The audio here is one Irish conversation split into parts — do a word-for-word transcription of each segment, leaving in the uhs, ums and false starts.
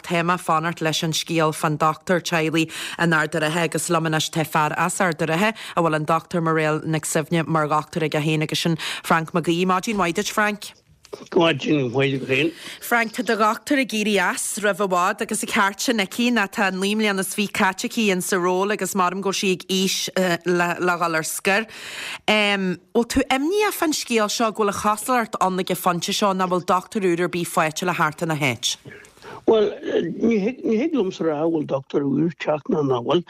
tá mé ag fanacht leis an scéal fán dochtúir teaghlaigh in Ard an Rátha agus liom anois tá fear as Ard an Rátha a bhfuil an Dochtúir Mairéad Nic Suibhne mar dhochtúir aige féin agus sin Frank Mac Aoidh. Maidin mhaith duit, Frank. Maidin mhaith féin. Frank, tá do dhochtúir ag éirí as roimh i bhfad agus an ceart sin aici ná tá naoi mbliana is fiche caite aici in sa ról agus maram go sí ag aois uh, le, le dhul ar scor. Um, Bhfuil tú imníoch fán scéal seo go bhfuil an chosúlacht ann ag an phointe seo nach bhfuil dochtúir úr ar bith faighte le theacht ina háit. Well, ní thig liomsa rá bhfuil dochtúir úr ag teacht nó nach bhfuil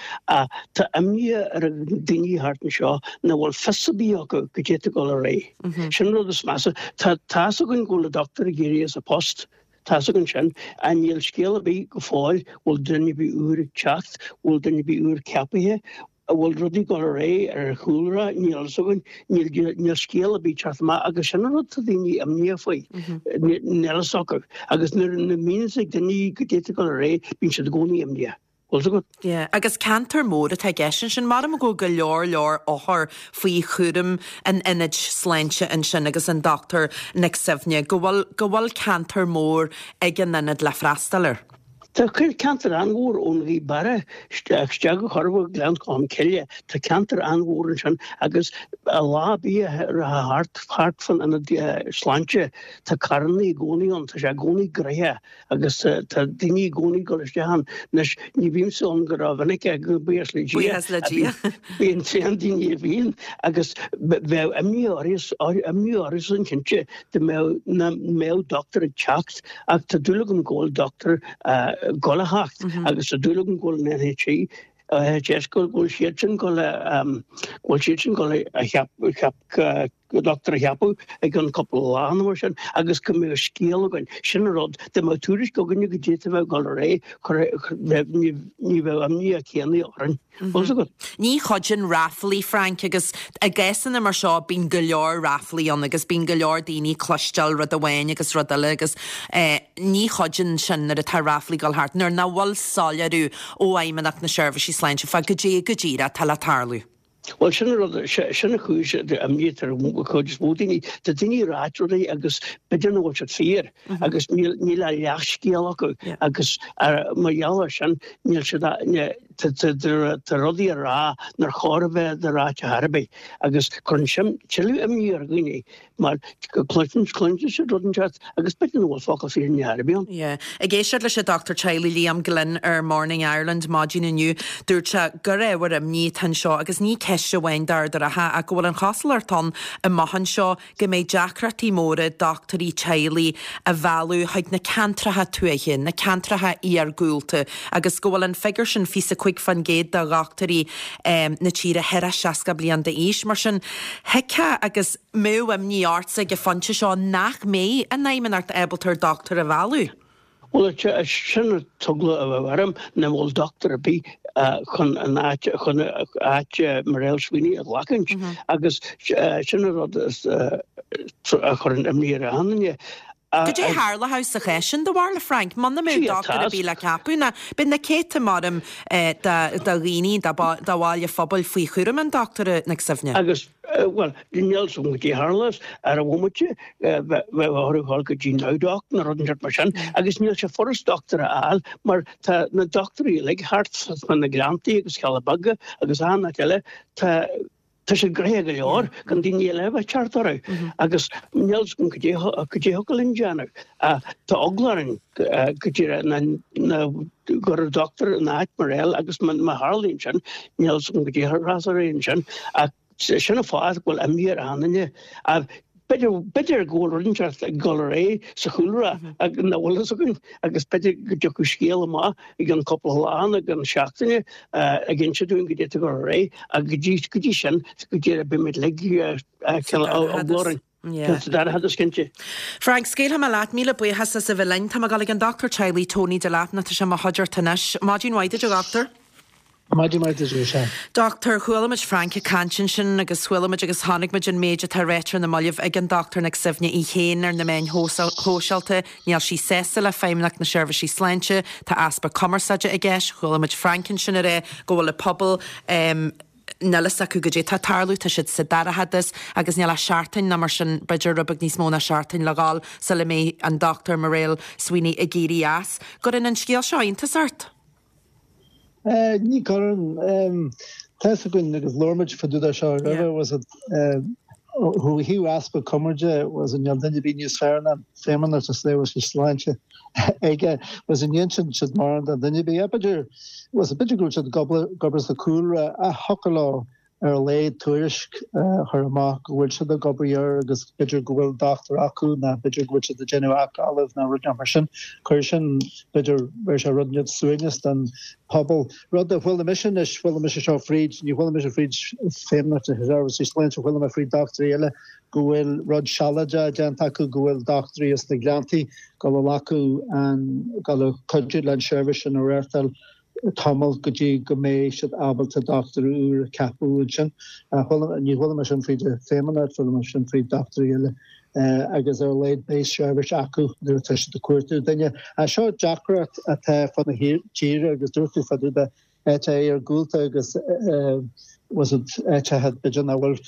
tá imní ar an daoine thart anseo nach bhfuil fios ar bith acu goidé atá ag dul ar aghaidh. Sin rud is measa tá tá a fhios againn go bhfuil dochtúir ag éirí as a post. Tá a fhios againn sin an níl scéal ar bith go fóill bhfuil duine ar bith úr ag teacht, bhfuil duine ar bith úr ceaptha, bhfuil rudaí ag dul ar aghaidh ar chúlra níl a fhios againn níl scéal ar bith teacht amach agus sin rud tá daoine imníoch faoi níl a fhios acu agus nuair nach mbíonn ag daoine goidé atá ag dul ar aghaidh bíonn siad i gcónaí imníoch. Bhfuil Yeah, agus ceantar mór atá i gceist sin mar go go leor leor othar faoi chúram an ionaid sláinte ansin agus an Dochtúir Nic Suibhne, go bhfuil go bhfuil ceantar mór ag an ionad le freastal air. Tá ceantar an-mhór ón Ghaoth Beara isteach go Corrabhaigh Gleann Cholm Cille Tá ceantar an-mhór ansin agus a lá bí thart thart fan an sláinte Tá carranna i gcónaí ann tá sé i gcónaí gnoitheach agus tá daoine i gcónaí ag dul isteach ann anois ní bhímse ann go rómhinic go buíochas le Buíochas le Dia. Bíonn tréan daoine a bhíonn agus bheadh imní imní orthu cinnte dá mbeadh dochtúir ag teacht ach tá dúil agam go bhfuil dochtúir ag dul a theacht agus tá dúil agam go bhfuil an N H H S go bhfuil siad sin go bhfuil siad sin go a cheap dochtúir a cheapadh ag an cúpla lá mar sin agus go mbeadh scéal againn sin rud dá mbeadh tuairisc againne goidé atá ag dul ar aghaidh ní bheadh imní an chéanna orainn. Mm. Ní chuidíonn ráflaí Frank agus i gcásanna mar seo bíonn go leor ráflaí ann agus bíonn go leor daoine cloisteáil rud amháin agus rud eile agus eh, ní chuidíonn sin nuair atá ráflaí ag dul thart nuair nach bhfuil soiléiriú ó Fheidhmeannacht na Seirbhísí Sláinte fá goidé go díreach atá le tarlú. Well sin rud sin an chúis imní ar chuid is mó daoine Tá daoine ag ráit rudaí agus b'fhéidir nach bhfuil siad fíor agus níl a leathscéal acu agus mar gheall ar sin níl siad tá rudaí á rá nár chóir a bheith ráite ar bith agus cuireann sin tuilleadh imní ar dhaoine mar cluineann cluineann siad rud inteacht agus b'fhéidir nach bhfuil focal fírinne ar bith ann. Yeah. Ag éisteacht leis an Dochtúir teaghlaigh Liam Glynn ar Morning Ireland maidin inniu dúirt sé gur ábhar imní atá anseo agus ní ceist amháin d'Ard an Rátha ach go bhfuil an chosúlacht ann amach anseo go mbeidh deacrachtaí móra dochtúirí teaghlaigh a mhealladh chuig na ceantracha tuaithe, na ceantracha iargúlta agus go bhfuil an figiúr sin fiche cúig faoin gcéad de dhochtúirí um, na tíre thar a seasca bliain d'aois mar sin thuigfeá agus mbeadh imní ortsa ag an phointe seo nach mbeidh an Fheidhmeannacht ábalta dochtúir a mhealladh. Well sin an t-eagla a bheadh orm nach bhfuil dochtúir ar bith chun an áit chun áit Mairéad Sweeney a ghlacadh agus sin an rud a chuireann imní ar an duine. Goidé tharlódh sa chás sin do bharúil Frank, Muna mbeadh dochtúir ar bith le ceapadh ná bíonn na céadta maram de dhaoine de bhaill an phobail faoi chúram an dochtúra Nic Suibhne. Agus well níl san go dtí tharlas ar a bhmaide bheith orthu go dtí NowDoc nó rud mar sin agus níl sé furast dochtúir a fháil mar tá na dochtúirí uilig thart sna na Gleanntaí agus Cealla Beaga agus an áit eile tá Tá sé gnoitheach go leor gan daoine eile bheith thart orthu agus níl go dtí go dtí linn déanamh. Tá eagla orainn go dtí na gur dochtúir in áit Mairéad agus má tharlaíonn sin níl go dtí rásar sin ach sin an fáth go bhfuil imní ar an duine. B'fhéidir go bhfuil rud inteacht ag dul ar aghaidh sa chúlra nach bhfuil fhios againn agus b'fhéidir go dtiocfadh scéal amach ag an cúpla lá ag an seachtaine ag inse dúinn goidé atá ag dul ar aghaidh agus go dtí go dtí sin go dtí beimid uilig eagla orainn. Dar cinnte. Frank scaoilfidh mé leat míle buíochas as a bheith linn. Tá mé ag dul ag an dochtúir teaghlaigh Tony Delap nó tá sé i mo chuideachta anois. Maidin mhaith duit a dhochtúir. Maidin mhaith duit sé. Dochtúir chuala muid Frank ag caint ansin agus chuala muid agus chonaic muid an méid atá ráite ar na mallaibh ag an dochtúir Nic Suibhne í féin ar na meáin shóisialta, níl sí sásta le Feidhmeannacht na Seirbhísí Sláinte, tá easpa cumarsáide i gceist, chuala muid Frank ansin ag rá go bhfuil an pobal um, Níl fhios acu goidé tá ag tarlú, tá siad sa dorchadas agus níl ach seachtain nó mar sin, b'fhéidir rud beag níos mó ná seachtain le dhul sula mbeidh an Dochtúir Mairéal Sweeney ag éirí as. Gcuireann an scéal seo iontas ort? Ní chuireann. Tá fhios againn agus labhair muid fá dtaobh de seo roimhe, was it ó thaobh easpa cumarsáide, was it níl duine ar bith níos fearr ná Feidhmeannacht na Seirbhíse Sláinte aige, was it ní insíonn siad mórán do dhuine ar bith. B'fhéidir, was it b'fhéidir go bhfuil siad ag obair sa chúlra ach thiocfadh leo ar a laghad tuairisc a chur amach go bhfuil siad ag obair air agus b'fhéidir go bhfuil dochtúir acu nó b'fhéidir go bhfuil siad ag déanamh agallamh nó rud mar sin. Chuir sin, b'fhéidir, bheir sé rud níos suaimhneas don phobal. Rud a chuala mise anois, chuala mise seo fríd, ní chuala mise fríd Feidhmeannacht na Seirbhíse Sláinte, chuala mé fríd dochtúirí eile go bhfuil rud sealadach déanta acu, go bhfuil dochtúirí as na Gleanntaí ag dul a ghlacadh an, ag dul a cuidiú le an seirbhís sin a reáchtáil. tamall go dtí go mbeidh siad ábalta dochtúir úr a ceapadh ansin. Ní chuala mé sin fríd an Feidhmeannacht, chuala mé sin fríd dochtúirí eile agus ar a laghad beidh seirbhís acu nuair atá siad ag cuartú duine. Seo deacracht atá fud na tíre agus dúirt tú fá dtaobh de áiteacha iargúlta agus was it áiteacha b'fhéidir nach bhfuil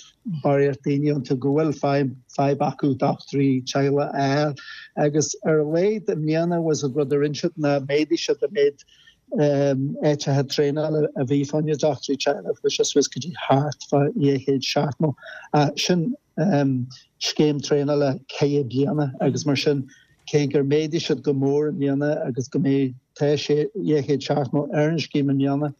barraíocht daoine iontu go bhfuil fadhb acu dochtúirí teaghlaigh a fháil agus ar a laghad i mbliana was it rud a rinne siad ná méadaigh siad an méid áiteacha traenála a bhí fá choinne dochtúirí teaghlaigh, chuaigh sé suas go dtí thart fá dhá chéad seachtó. Sin scéim traenála ceithre bliana agus mar sin cé gur méadaigh siad go mór i mbliana agus go mbeidh tá sé dhá chéad seachtó ar an scéim i mbliana,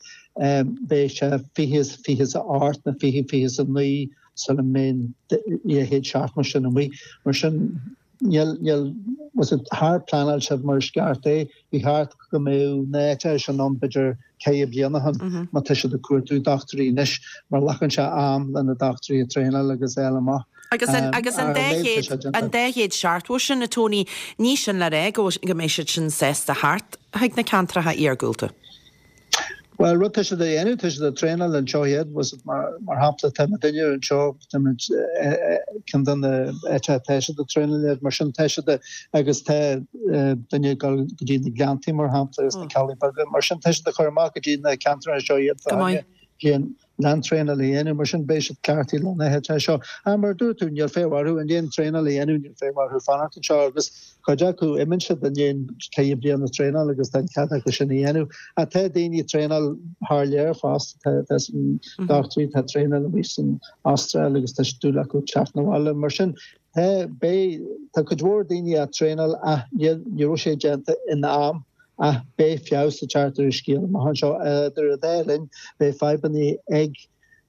beidh sé fiche is fiche is a hocht nó fiche fiche is a naoi sula mbeidh an dhá chéad seachtó sin amuigh. Mar sin Níl, níl, was it, char pleanáil siad mar is ceart é. Ba cheart go mbeadh na háiteacha sin ann b'fhéidir ceithre bliana ó shin má tá siad ag cuartú dochtúirí anois mar glacann sé am le na dochtúirí a traenáil agus a fháil amach. Agus an, agus an dá chéad, an dá chéad seachtó sin, a Tony, ní sin le rá go go mbeidh siad sin sásta theacht chuig na ceantracha iargúlta. Bhuel, rud tá siad a dhéanamh, tá siad ag traenáil anseo iad, was it, mar, mar shampla, tá muidinne anseo, tá muid, ceann de na áiteacha atá siad ag traenáil iad, mar sin tá siad agus tá duine ag dul go dtí na Gleanntaí, mar shampla, agus na Ceallaigh Beaga, mar sin tá siad ag cur amach go dtí na ceantair anseo iad fá choinne bliain lán traenáil a dhéanamh, mar sin beidh siad cleachtaithe le na háiteacha seo. Ach mar a dúirt tú, níl feidhm orthu i ndiaidh an traenáil a dhéanamh, níl feidhm orthu fanacht anseo agus cuid acu imíonn siad i ndiaidh ceithre bliana traenáil agus tá an cead acu sin a dhéanamh. Ach tá daoine ag traenáil thar lear fosta, tá tá san dochtúirí atá ag traenáil amuigh san Astráil agus tá dúil acu teacht 'na bhaile. Mar sin tá beidh tá cuid mhór daoine ag traenáil ach níl ní raibh sé déanta in am ach beidh feabhas ag teacht ar an scéal amach anseo. Idir an dá linn beidh fadhbanna ag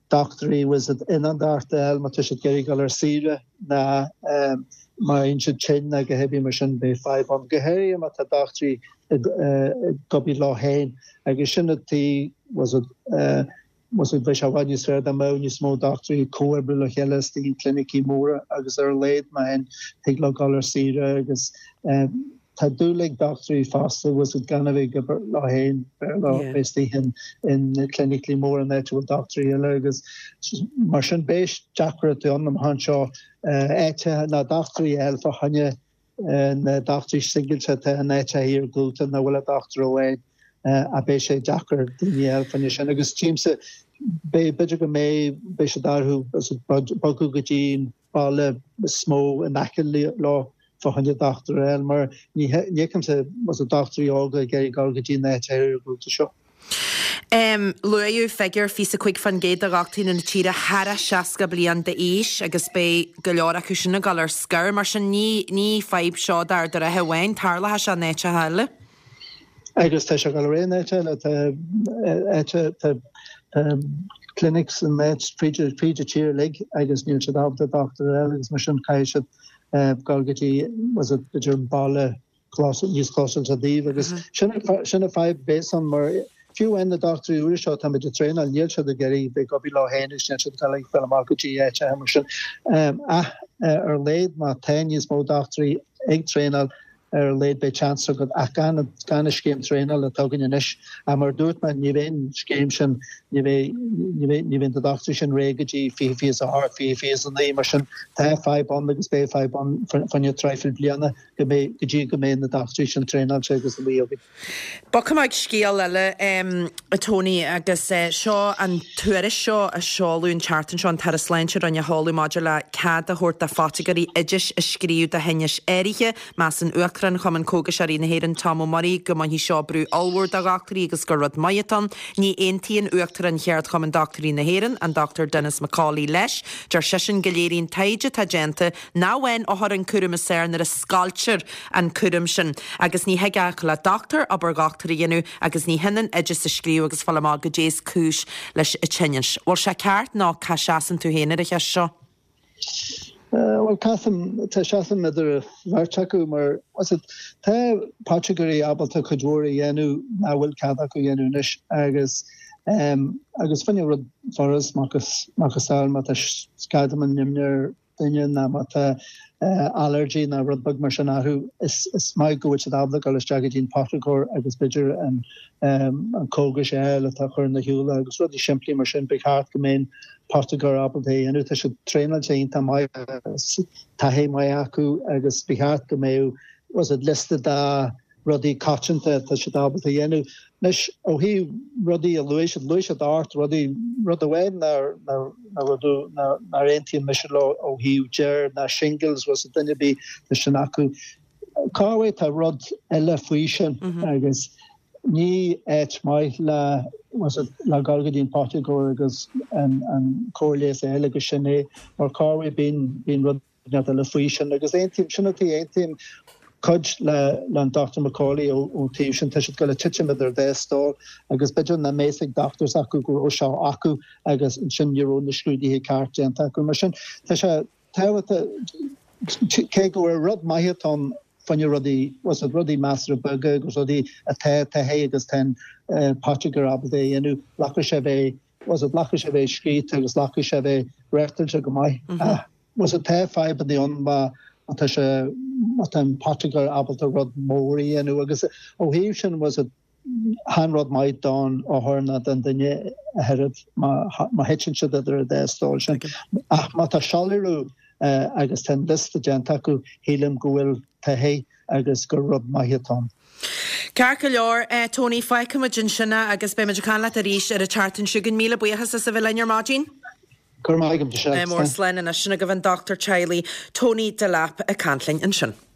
dochtúirí was it ionadaíocht a fháil má tá siad ag iarraidh dul ar saoire ná má bhíonn siad tinn ná go hébí mar sin beidh fadhb ann. Go háirithe má tá dochtúirí ag obair leo féin agus sin an taobh was it was it bheadh sé i bhfad níos fearr dá mbeadh níos mó dochtúirí ag comhoibriú le chéile istigh i gclinicí móra agus ar a laghad má théann thig leo dul ar saoire agus Tá dúil ag dochtúirí fosta was it gan a bheith ag obair leo féin, b'fhearr leo bheith istigh in clinicí móra in áit a bhfuil dochtúirí eile agus mar sin beidh deacrachtaí ann amach anseo áiteacha ná dochtúirí a fháil fá choinne na dochtúirí singilte atá in áiteacha iargúlta nach bhfuil ach dochtúir amháin ach beidh sé deacair daoine a fháil fá choinne sin agus tchímse beidh b'fhéidir go mbeidh beidh siad orthu bogadh go dtí an baile is mó in aice leo fá choinne dochtúir a fháil mar ní fheicimse was it dochtúirí óga ag iarraidh dul go dtí na háiteacha iargúlta seo. Luaíodh figiúr fiche a cúig faoin gcéad de dhochtúirí na tíre thar seasca bliain d'aois agus beidh go leor acu sin ag dul ar scor. Mar sin ní ní fadhb seo d'Ard an Rátha amháin, tarlóidh sé in áiteacha eile. Agus tá sé ag dul ar aghaidh in áit eile, tá áit tá clinics in áit fríd fríd an tír uilig agus níl siad ábalta dochtúir a fháil agus mar sin caithfidh siad dul go dtí was it b'fhéidir an baile níos clósáilte daoibh agus sin sin an fadhb bhéas ann mar fiú amháin na dochtúirí úra seo táimid ag traenáil níl siad ag iarraidh bheith ag obair leo féin agus níl siad ag dul ag fáil amach go dtí áiteacha mar sin ach ar a laghad má tá níos mó dochtúirí ag traenáil ar a laghad beidh seans agat ach gan gan an scéim traenála atá againn anois. Ach mar a dúirt mé ní bheidh an scéim sin ní bheidh ní bheidh ní bheidh na dochtúirí sin réidh go dtí fiche fiche is a hocht, fiche fiche is a naoi mar sin tá fadhb ann agus beidh fadhb ann fá choinne traidhfil bliana go mbeidh go dtí go mbeidh na dochtúirí sin traenáilte agus amuigh againn. Bogfaidh mé ag scéal eile a Tony agus seo an tuairisc seo a seoladh an tseachtain seo an tAire Sláinte a rinne a sheoladh maidir le cead a thabhairt do phoitigéirí oidis a scríobh do thinnis áirithe. Measann Uachtarán Chumann Cógaiseoirí na hÉireann Tom Ó Muirí go mbainfidh seo brú ollmhór de dhochtúirí agus gur rud maith atá ann. Ní aontaíonn Uachtarán Cheardchumann Dochtúirí na hÉireann, an Dr Denis McCauley leis. Deir seisean go léiríonn taighde atá déanta nach bhfaigheann othair an cúram is fearr nuair a scoiltear an cúram sin agus ní thig ach le dochtúir obair dhochtúra a dhéanamh agus ní hionann oideas a scríobh agus fáil amach goidé is cúis leis an tinneas. Bhfuil sé ceart nó cá seasann tú féin ar an cheist seo? Bhuel caithim tá seasaim idir bheirt acu mar tá poitigéirí ábalta cuid mhór a dhéanamh nach bhfuil cead acu a dhéanamh anois agus agus fá choinne rud furast macasamhail má tá scadamán nimhne ar duine nó má tá allergy nó rud beag mar sin orthu is is maith go bhfuil siad ábalta dul isteach go dtí an poitigéir agus b'fhéidir an an cógas a fháil atá chur ina shiúla agus rudaí simplí mar sin ba cheart go mbeadh poitigéir ábalta é a dhéanamh. Tá siad traenáilte iontach maith taithí maith acu agus ba cheart go mbeadh was it liosta de rudaí coitianta atá siad ábalta a dhéanamh. Anois ó thaobh rudaí a luaigh siad, luaigh siad ocht rudaí, rud amháin nár nár aontaíonn mise leo ó thaobh deir ná shingles was it duine ar bith tá sin acu. Corruair tá rud eile faoi sin agus ní áit maith le was it le dul go dtí an poitigéir agus an an cóir leighis a fháil agus sin é mar corruair bíonn bíonn rud eile faoi sin agus aontaím sin atá aontaím cuid le le an Dr McCauley ón taobh sin tá siad go le titim idir dá stól agus b'fhéidir nach mbeadh ag doctors acu go raibh seo acu agus ansin ní raibh na scrúduithe ceart déanta acu mar sin tá sé tábhachtach cé go bhfuil rud maith atá ann fá choinne rudaí was it rudaí measartha beaga agus rudaí atá taithí agus tá an poitigéir ábalta a dhéanamh glacadh sé bheith was it glacadh sé bheith scríte agus glacadh sé bheith reachtáilte go maith. Was it tá fadhbanna ann má tá sé má tá an poitigéir ábalta rud mór a dhéanamh agus ó thaobh sin was it chan rud maith don othar ná don duine a thuiread má má thiteann siad idir an dá stól sin. Ach má tá soiléiriú agus tá an liosta déanta acu shílim go bhfuil taithí agus gur rud maith atá ann. Ceart go leor, Tony, fágfaimid ansin é agus beidh muid ag caint leat arís ar an tseachtain seo chugainn. Míle buíochas as a bheith linn ar maidin. Go raibh maith agat, Michelle. Mór slán anois sin agaibh an dochtúir teaghlaigh Tony Delap ag caint linn ansin.